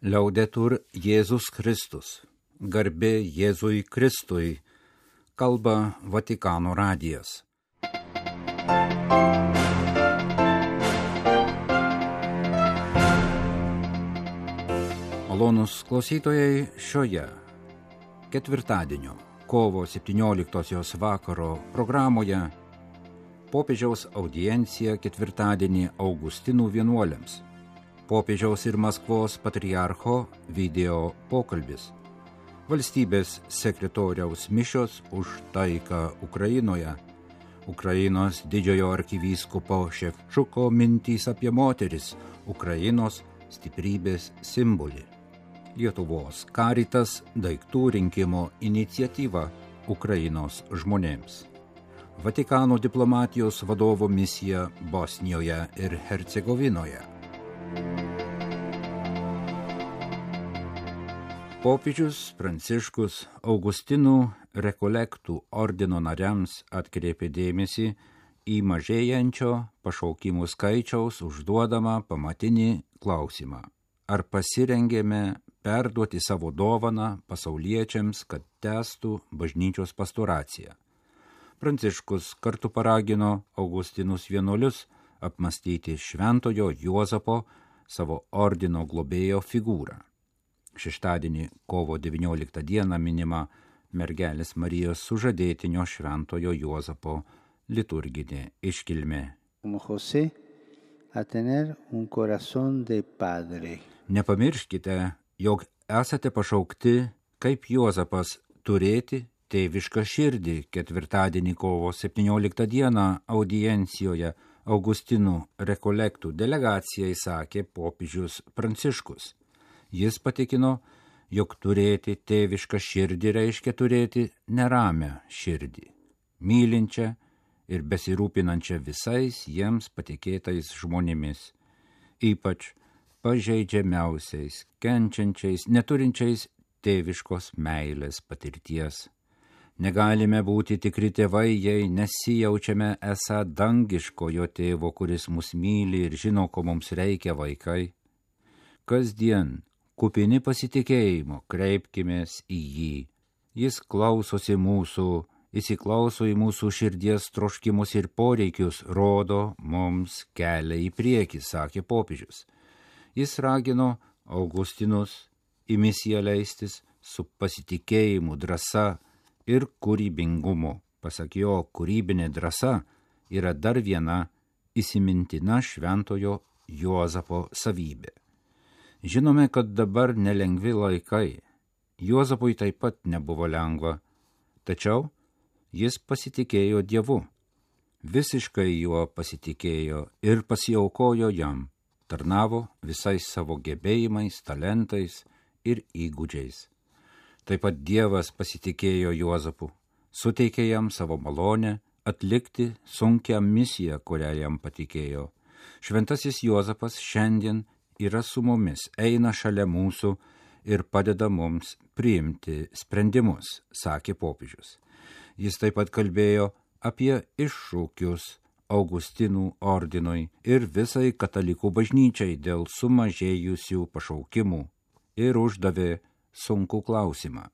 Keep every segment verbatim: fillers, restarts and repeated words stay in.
Liaudetur Jėzus Kristus, garbė Jėzui Kristui, kalba Vatikano radijas. Malonūs klausytojai, šioje ketvirtadienio, kovo septynioliktosios vakaro programoje popiežiaus audiencija ketvirtadienį Augustinų vienuoliams. Popiežiaus ir Maskvos patriarcho video pokalbis, valstybės sekretoriaus mišios už taiką Ukrainoje, Ukrainos didžiojo arkivyskupo Ševčuko mintys apie moteris, Ukrainos stiprybės simbolį, Lietuvos Caritas daiktų rinkimo iniciatyva Ukrainos žmonėms, Vatikano diplomatijos vadovo misija Bosnijoje ir Hercegovinoje. Popiežius Pranciškus Augustinų rekolektų ordino nariams atkreipė dėmesį į mažėjančio pašaukimų skaičiaus užduodamą pamatinį klausimą. Ar pasirengėme perduoti savo dovaną pasauliečiams, kad tęstų bažnyčios pastoraciją? Pranciškus kartu paragino Augustinus vienuolius apmastyti šventojo Juozapo savo ordino globėjo figūrą. Šeštadienį, kovo devynioliktą dieną minima mergelės Marijos sužadėtinio šventojo Juozapo liturginė iškilmė. Nepamirškite, jog esate pašaukti kaip Juozapas turėti tėvišką širdį. Ketvirtadienį, kovo septynioliktą dieną audiencijoje Augustinų rekolektų delegacijai sakė popiežius Pranciškus. Jis patikino, jog turėti tėvišką širdį reiškia turėti neramią širdį, mylinčią ir besirūpinančią visais jiems patikėtais žmonėmis, ypač pažeidžiamiausiais, kenčiančiais, neturinčiais tėviškos meilės patirties. Negalime būti tikri tėvai, jei nesijaučiame esą dangiškojo tėvo, kuris mus myli ir žino, ko mums reikia vaikai. Kasdien, kupini pasitikėjimo, kreipkimės į jį. Jis klausosi mūsų, įsiklauso į mūsų širdies troškimus ir poreikius, rodo mums kelią į priekį, sakė popiežius. Jis ragino Augustinus į misiją leistis su pasitikėjimu, drąsa ir kūrybingumu. Pasak jo, kūrybinė drąsa yra dar viena įsimintina šventojo Juozapo savybė. Žinome, kad dabar nelengvi laikai. Juozapui taip pat nebuvo lengva, tačiau jis pasitikėjo Dievu. Visiškai juo pasitikėjo ir pasiaukojo jam, tarnavo visais savo gebėjimais, talentais ir įgūdžiais. Taip pat Dievas pasitikėjo Juozapu, suteikė jam savo malonę atlikti sunkią misiją, kurią jam patikėjo. Šventasis Juozapas šiandien yra su mumis, eina šalia mūsų ir padeda mums priimti sprendimus, sakė popiežius. Jis taip pat kalbėjo apie iššūkius Augustinų ordinui ir visai katalikų bažnyčiai dėl sumažėjusių pašaukimų ir uždavė sunkų klausimą.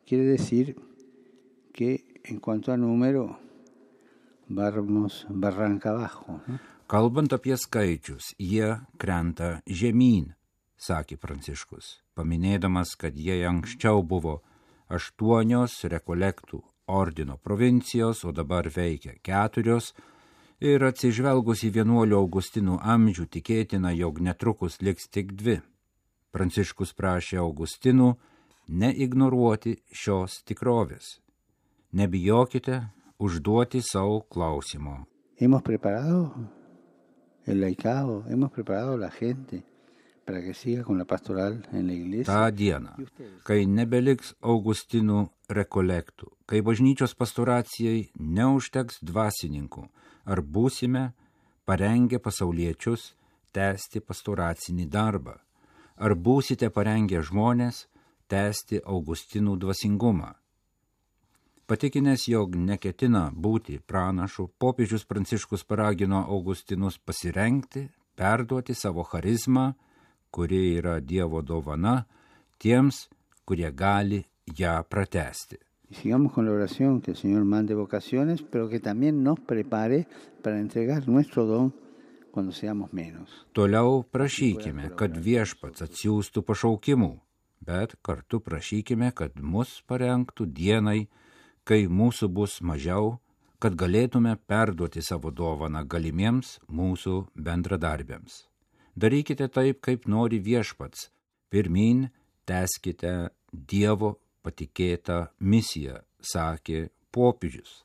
Quiere decir que en cuanto a número vamos barranca abajo, ¿no? Kalbant apie skaičius, jie krenta žemyn, sakė Pranciškus, paminėdamas, kad jie anksčiau buvo aštuonios rekolektų ordino provincijos, o dabar veikia keturios, ir atsižvelgus į vienuolių Augustinų amžių tikėtina, jog netrukus liks tik dvi. Pranciškus prašė Augustinų neignoruoti šios tikrovės. Nebijokite užduoti savo klausimo. Hemos preparado el laicado, hemos preparado la gente para que siga con la pastoral en la iglesia. Ta diena, kai nebeliks Augustinų rekolektų, kai bažnyčios pastoracijai neužteks dvasininkų, ar būsime parengę pasauliečius tęsti pastoracinį darbą, ar būsite parengę žmonės tęsti Augustinų dvasingumą. Patikinęs, jog neketina būti pranašu, popiežius Pranciškus paragino Augustinus pasirengti, perduoti savo charizmą kuri yra Dievo dovana tiems, kurie gali ją pratęsti. Y sigamos con la oración, que el Señor mande vocaciones, pero que también nos prepare para entregar nuestro don cuando seamos menos. Toliau prašykime, kad viešpats atsiųstų pašaukimų, bet kartu prašykime, kad mus parengtų dienai, kai mūsų bus mažiau, kad galėtume perduoti savo dovaną galimiems mūsų bendradarbiams. Darykite taip, kaip nori viešpats. Pirmyn tęskite Dievo patikėtą misiją, sakė popiežius.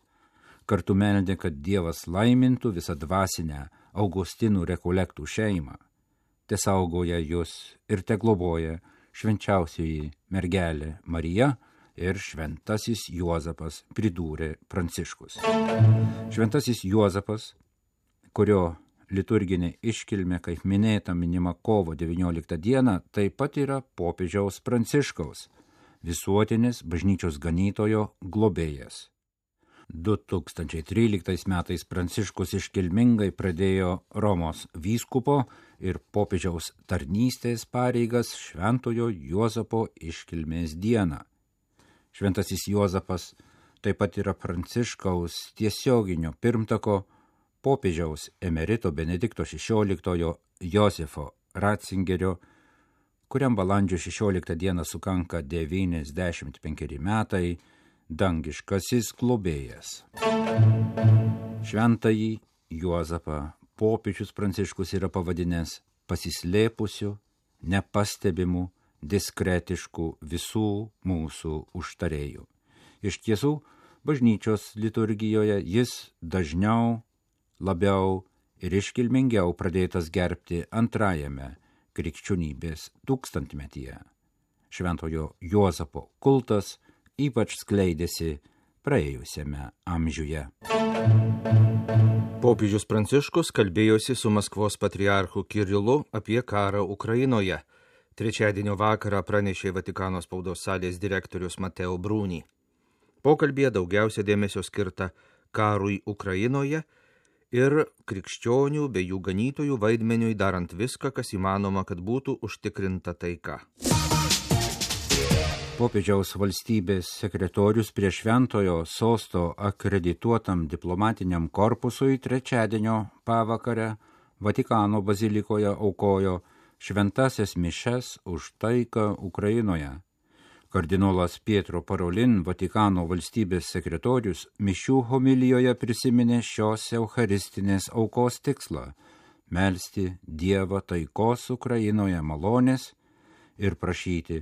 Kartu meldė, kad Dievas laimintų visą dvasinę Augustinų rekolektų šeimą. Te saugoja jūs ir te globoja švenčiausioji mergelė Marija ir šventasis Juozapas, pridūrė Pranciškus. Šventasis Juozapas, kurio liturginė iškilmė, kaip minėta, minima kovo devynioliktą dieną, taip pat yra popiežiaus Pranciškaus, visuotinis bažnyčios ganytojo globėjas. du tūkstančiai tryliktais metais Pranciškus iškilmingai pradėjo Romos vyskupo ir popiežiaus tarnystės pareigas Šventojo Juozapo iškilmės dieną. Šventasis Juozapas taip pat yra Pranciškaus tiesioginio pirmtako popiežiaus emerito Benedikto šešioliktojo Josefo Ratzingerio, kuriam balandžio šešioliktą dieną sukanka devyniasdešimt penkeri metai, dangiškasis globėjas. Šventąjį Juozapą popiežius Pranciškus yra pavadinęs pasislėpusiu, nepastebimu, diskretišku visų mūsų užtarėjų. Iš tiesų, bažnyčios liturgijoje jis dažniau, labiau ir iškilmingiau pradėtas gerbti antrajame krikščionybės tūkstantmetyje. Šventojo Juozapo kultas ypač skleidėsi praėjusiame amžiuje. Popiežius Pranciškus kalbėjosi su Maskvos patriarchu Kirilu apie karą Ukrainoje. Trečiadienio vakarą pranešė Vatikano spaudos salės direktorius Mateo Bruni. Pokalbėje daugiausia dėmesio skirta karui Ukrainoje ir krikščionių bei jų ganytojų vaidmeniui darant viską, kas įmanoma, kad būtų užtikrinta taika. Popiežiaus valstybės sekretorius prie šventojo sosto akredituotam diplomatiniam korpusui trečiadienio pavakarę Vatikano bazilikoje aukojo šventasias mišes už taiką Ukrainoje. Kardinolas Pietro Parolin, Vatikano valstybės sekretorius, mišių homilijoje prisiminė šios eucharistinės aukos tikslą – melsti Dievą taikos Ukrainoje malonės ir prašyti,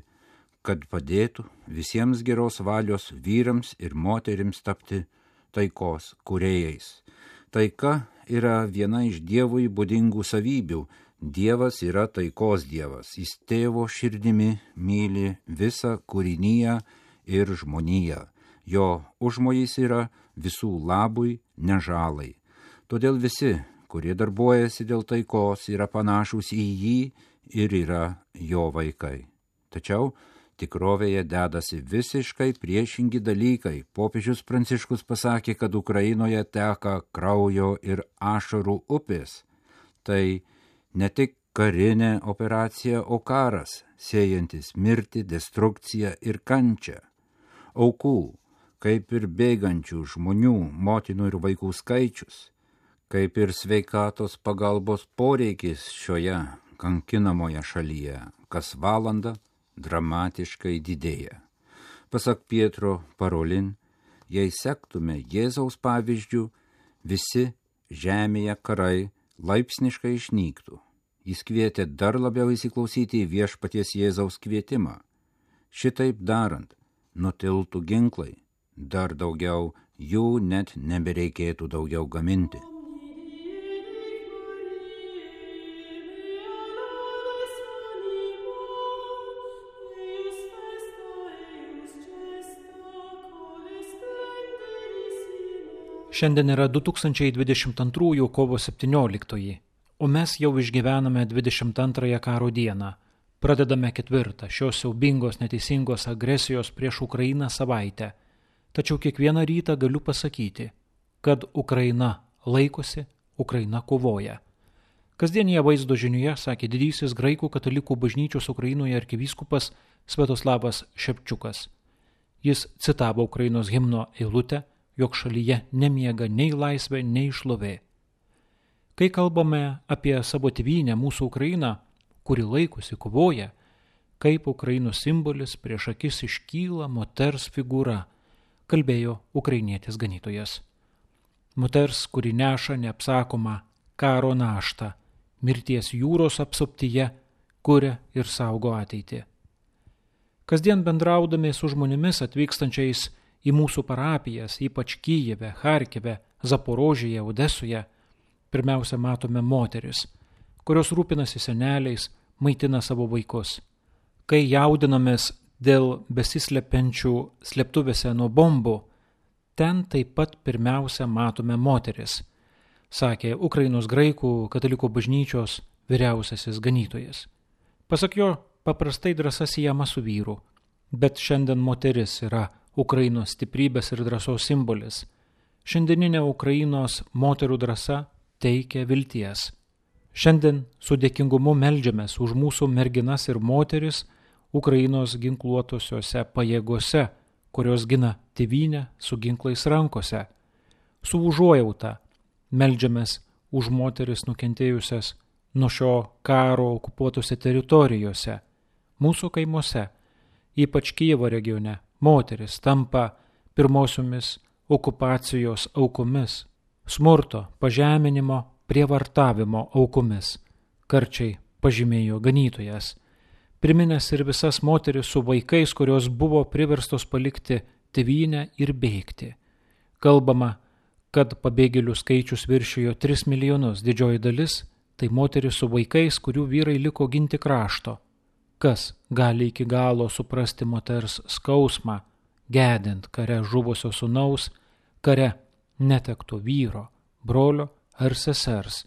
kad padėtų visiems geros valios vyrams ir moterims tapti taikos kūrėjais. Taika yra viena iš Dievui būdingų savybių. Dievas yra taikos Dievas. Jis tėvo širdimi myli visą kūriniją ir žmoniją. Jo užmojis yra visų labui, ne žalai. Todėl visi, kurie darbuojasi dėl taikos, yra panašūs į jį ir yra jo vaikai. Tačiau tikrovėje dedasi visiškai priešingi dalykai. Popiežius Pranciškus pasakė, kad Ukrainoje teka kraujo ir ašarų upės. Tai ne tik karinė operacija, o karas, sėjantis mirtį, destrukciją ir kančią. Aukų, kaip ir bėgančių žmonių, motinų ir vaikų skaičius, kaip ir sveikatos pagalbos poreikis šioje kankinamoje šalyje, kas valandą dramatiškai didėja. Pasak Pietro Parolin, jei sektume Jėzaus pavyzdžių, visi žemėje karai laipsniškai išnyktų. Jis kvietė dar labiau įsiklausyti į viešpaties Jėzaus kvietimą. Šitaip darant, nutiltų ginklai, dar daugiau jų net nebereikėtų daugiau gaminti. Šiandien yra du tūkstančiai dvidešimt antrųjų kovo septynioliktoji, o mes jau išgyvename dvidešimt antrąją karo dieną. Pradedame ketvirtą šios siaubingos neteisingos agresijos prieš Ukrainą savaitę. Tačiau kiekvieną rytą galiu pasakyti, kad Ukraina laikosi, Ukraina kovoja. Kasdienėje vaizdo žinioje sakė didysis graikų katalikų bažnyčios Ukrainoje arkivyskupas Sviatoslavas Šepčiukas. Jis citavo Ukrainos himno eilutę, jog šalyje nemiega nei laisvė, nei šlovė. Kai kalbame apie savo tėvynę, mūsų Ukrainą, kuri laikosi kovoja, kaip Ukrainos simbolis prieš akis iškyla moters figūra, kalbėjo ukrainietis ganytojas. Moters, kuri neša neapsakomą karo naštą, mirties jūros apsuptyje, kuria ir saugo ateitį. Kasdien bendraudami su žmonėmis atvykstančiais į mūsų parapijas, ypač Kyjive, Charkive, Zaporožėje, Odesoje, pirmiausia matome moteris, kurios rūpinasi seneliais, maitina savo vaikus. Kai jaudinamės dėl besislepiančių slėptuvėse nuo bombų, ten taip pat pirmiausia matome moteris, sakė Ukrainos graikų katalikų bažnyčios vyriausiasis ganytojas. Pasak jo, paprastai drąsa siejama su vyru, bet šiandien moteris yra Ukrainos stiprybės ir drąsos simbolis. Šiandieninė Ukrainos moterų drąsa teikia vilties. Šiandien su dėkingumu meldžiamės už mūsų merginas ir moteris Ukrainos ginkluotosiose pajėgose, kurios gina tėvynę su ginklais rankose. Su užuojauta meldžiamės už moteris nukentėjusias nuo šio karo okupuotose teritorijose. Mūsų kaimuose, ypač Kijevo regione, moteris tampa pirmosiomis okupacijos aukomis, smurto, pažeminimo, prievartavimo aukomis, karčiai pažymėjo ganytojas, priminęs ir visas moteris su vaikais, kurios buvo priverstos palikti tėvynę ir bėgti. Kalbama, kad pabėgėlių skaičius viršijo tris milijonus, didžioji dalis tai moteris su vaikais, kurių vyrai liko ginti krašto. Kas gali iki galo suprasti moters skausmą, gedint kare žuvusio sūnaus, kare netekto vyro, brolio ar sesers,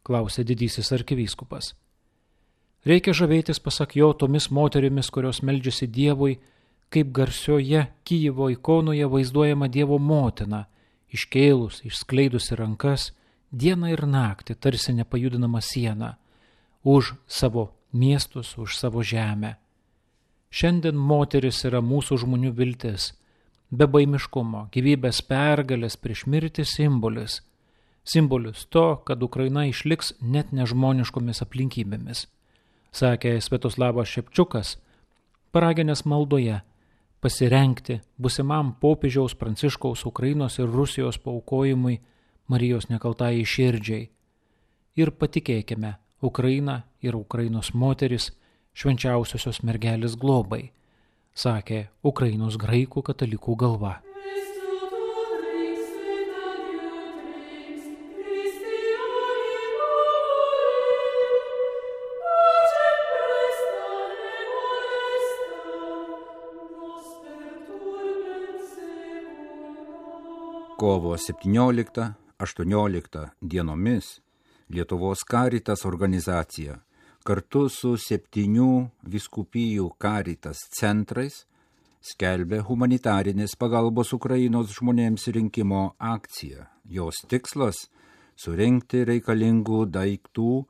klausė didysis arkivyskupas. Reikia žavėtis, pasak jo, tomis moterimis, kurios meldžiasi Dievui, kaip garsioje Kijevo ikonoje vaizduojama Dievo motina, iškėlus, išskleidusi rankas, dieną ir naktį, tarsi nepajudinama siena, už savo miestus, už savo žemę. Šiandien moteris yra mūsų žmonių viltis, bebaimiškumo, gyvybės pergalės prieš mirtį simbolis, simbolis to, kad Ukraina išliks net nežmoniškomis aplinkybėmis, sakė Sviatoslavas Šepčiukas, paraginęs maldoje pasirengti busimam popiežiaus Pranciškaus Ukrainos ir Rusijos paaukojimui Marijos nekaltajai širdžiai. Ir patikėkime Ukrainą ir Ukrainos moteris švenčiausiosios mergelės globai, sakė Ukrainos graikų katalikų galva. Kovo septynioliktą aštuonioliktą dienomis Lietuvos Caritas organizacija kartu su septynių vyskupijų Caritas centrais skelbė humanitarinės pagalbos Ukrainos žmonėms rinkimo akciją. Jos tikslas – surinkti reikalingų daiktų,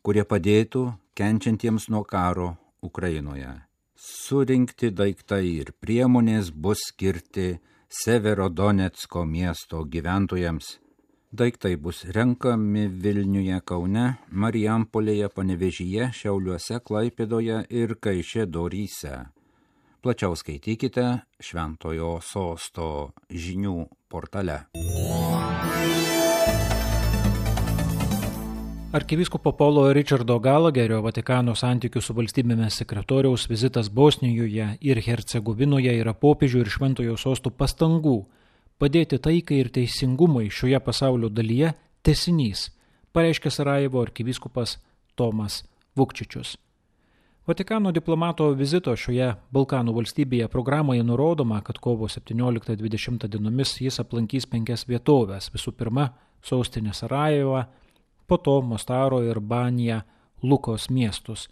kurie padėtų kenčiantiems nuo karo Ukrainoje. Surinkti daiktai ir priemonės bus skirti Severodonecko miesto gyventojams. Daiktai bus renkami Vilniuje, Kaune, Marijampolėje, Panevėžyje, Šiauliuose, Klaipėdoje ir Kaišiadoryse. Plačiau skaitykite Šventojo Sosto žinių portale. Arkivyskupo Paulo Richardo Gallagherio Vatikano santykių su valstybėmis sekretoriaus vizitas Bosnijoje ir Hercegovinoje yra popiežių ir Šventojo Sosto pastangų padėti taikai ir teisingumui šioje pasaulio dalyje tęsinys, pareiškė Sarajevo arkivyskupas Tomas Vukčičius. Vatikano diplomato vizito šioje Balkanų valstybėje programoje nurodoma, kad kovo septynioliktą dvidešimtą dienomis jis aplankys penkias vietovės, visų pirma sostinę Sarajevą, po to Mostaro ir Banija Lukos miestus,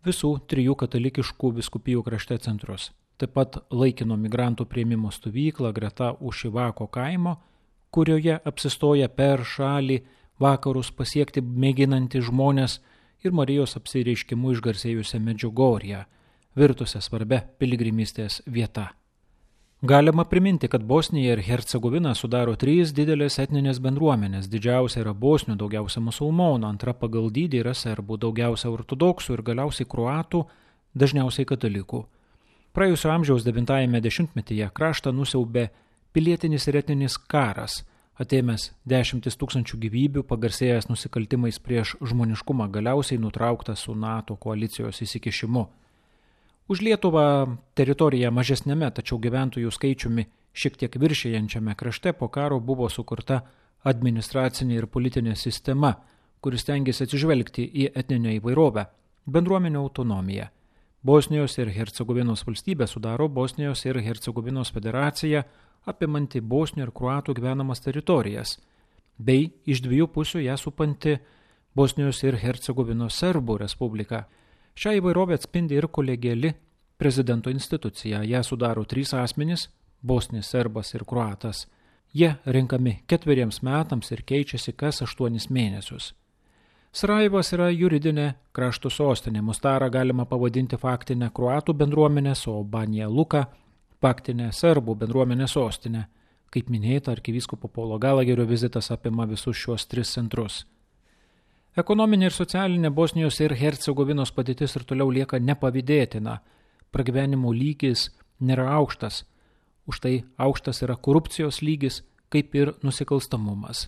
visų trijų katalikiškų vyskupijų krašte centrus, taip pat laikino migrantų priėmimo stovyklą greta Ušivako kaimo, kurioje apsistoja per šalį vakarus pasiekti mėginanti žmonės ir Marijos apsireiškimu išgarsėjusią Medžiugorję, virtusią svarbia piligrimystės vieta. Galima priminti, kad Bosnija ir Hercegovina sudaro trys didelės etninės bendruomenės. Didžiausia yra bosnių, daugiausia musulmonų, antra pagal dydį yra serbų, daugiausia ortodoksų ir galiausiai kruatų, dažniausiai katalikų. Praėjusio amžiaus devintajame dešimtmetyje kraštą nusiaubė pilietinis ir etninis karas, atėmęs dešimtis tūkstančių gyvybių, pagarsėjęs nusikaltimais prieš žmoniškumą, galiausiai nutrauktas su NATO koalicijos įsikišimu. Už Lietuvą teritoriją mažesnėme, tačiau gyventojų skaičiumi šiek tiek viršijančiame krašte po karo buvo sukurta administracinė ir politinė sistema, kuris stengiasi atsižvelgti į etninę įvairovę, bendruomenių autonomiją. Bosnijos ir Hercegovinos valstybė sudaro Bosnijos ir Hercegovinos federaciją, apimanti bosnių ir kruatų gyvenamas teritorijas, bei iš dviejų pusių ją supanti Bosnijos ir Hercegovinos serbų respublika. Šią įvairovę atspindi ir kolegiali prezidento institucija. Ją sudaro trys asmenys – bosnis, serbas ir kruatas. Jie renkami ketveriems metams ir keičiasi kas aštuonis mėnesius. Sarajevas yra juridinė krašto sostinė. Mostarą galima pavadinti faktinę kruatų bendruomenės, o Banja Luka – faktinę serbų bendruomenės sostinę. Kaip minėta, arkivyskupo Paulo Galagerio vizitas apima visus šios tris centrus. Ekonominė ir socialinė Bosnijos ir Hercegovinos padėtis ir toliau lieka nepavydėtina. Pragyvenimo lygis nėra aukštas. Už tai aukštas yra korupcijos lygis, kaip ir nusikalstamumas.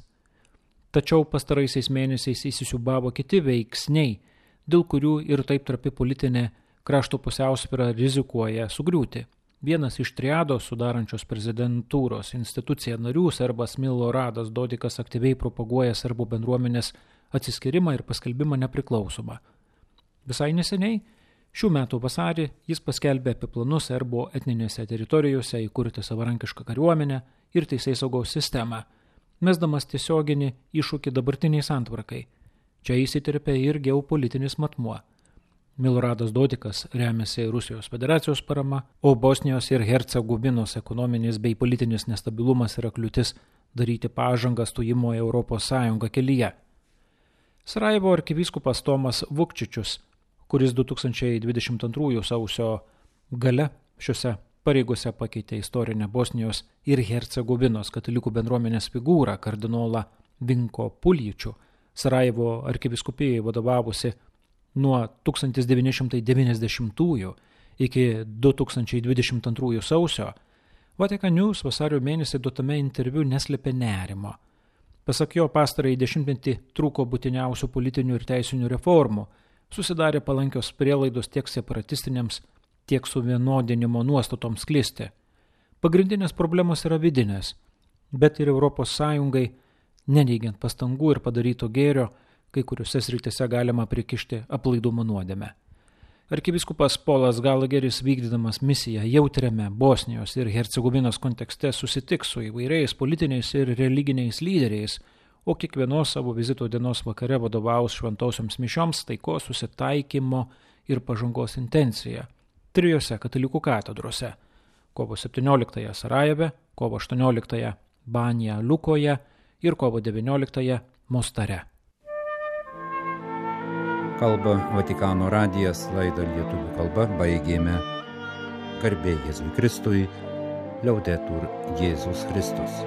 Tačiau pastaraisiais mėnesiais įsisiūbavo kiti veiksniai, dėl kurių ir taip trapi politinė krašto pusiausvyra rizikuoja sugriūti. Vienas iš triados sudarančios prezidentūros instituciją narių, serbas Miloradas Dodikas, aktyviai propaguoja serbų bendruomenės atsiskyrimą ir paskelbimą nepriklausomą. Visai neseniai, šių metų vasarį, jis paskelbė apie planus serbų etninėse teritorijose įkurti savarankišką kariuomenę ir teisėsaugos sistemą, mesdamas tiesioginį iššūkį dabartiniai santvarkai. Čia įsiterpia ir geopolitinis matmuo. Miloradas Dodikas remiasi Rusijos federacijos parama, o Bosnijos ir Hercegovinos ekonominis bei politinis nestabilumas yra kliūtis daryti pažangą stojimo į Europos Sąjungą kelyje. Sarajevo arkivyskupas Tomas Vukčičius, kuris du tūkstančiai dvidešimt antrųjų sausio gale šiuose pareigose pakeitė istorinę Bosnijos ir Hercegovinos katalikų bendruomenės figūrą kardinolą Vinko Puljičių, Sarajevo arkivyskupijai vadovavusi nuo tūkstantis devyni šimtai devyniasdešimtųjų iki du tūkstančiai dvidešimt antrųjų sausio, Vatican News vasario mėnesį duotame interviu neslėpė nerimo. Pasak jo, pastarąjį dešimtmetį trūko būtiniausių politinių ir teisinių reformų, susidarė palankios prielaidos tiek separatistinėms, tiek suvienodinimo nuostatoms sklisti. Pagrindinės problemos yra vidinės, bet ir Europos Sąjungai, neneigiant pastangų ir padaryto gėrio, kai kuriuose srityse galima prikišti aplaidumo nuodėmę. Arkivyskupas Polas Galageris, vykdydamas misiją jautriame Bosnijos ir Hercegovinos kontekste, susitiks su įvairiais politiniais ir religiniais lyderiais, o kiekvienos savo vizito dienos vakare vadovaus šventosioms mišioms, taikos, susitaikymo ir pažangos intencija trijose katalikų katedrose – kovo septynioliktąją Sarajeve, kovo aštuonioliktąją Banja Lukoje ir kovo devynioliktąją Mostare. Kalba Vatikano radijas, laidą lietuvių kalba baigėme. Garbė Jėzui Kristui, Liaudetur Jėzus Kristus.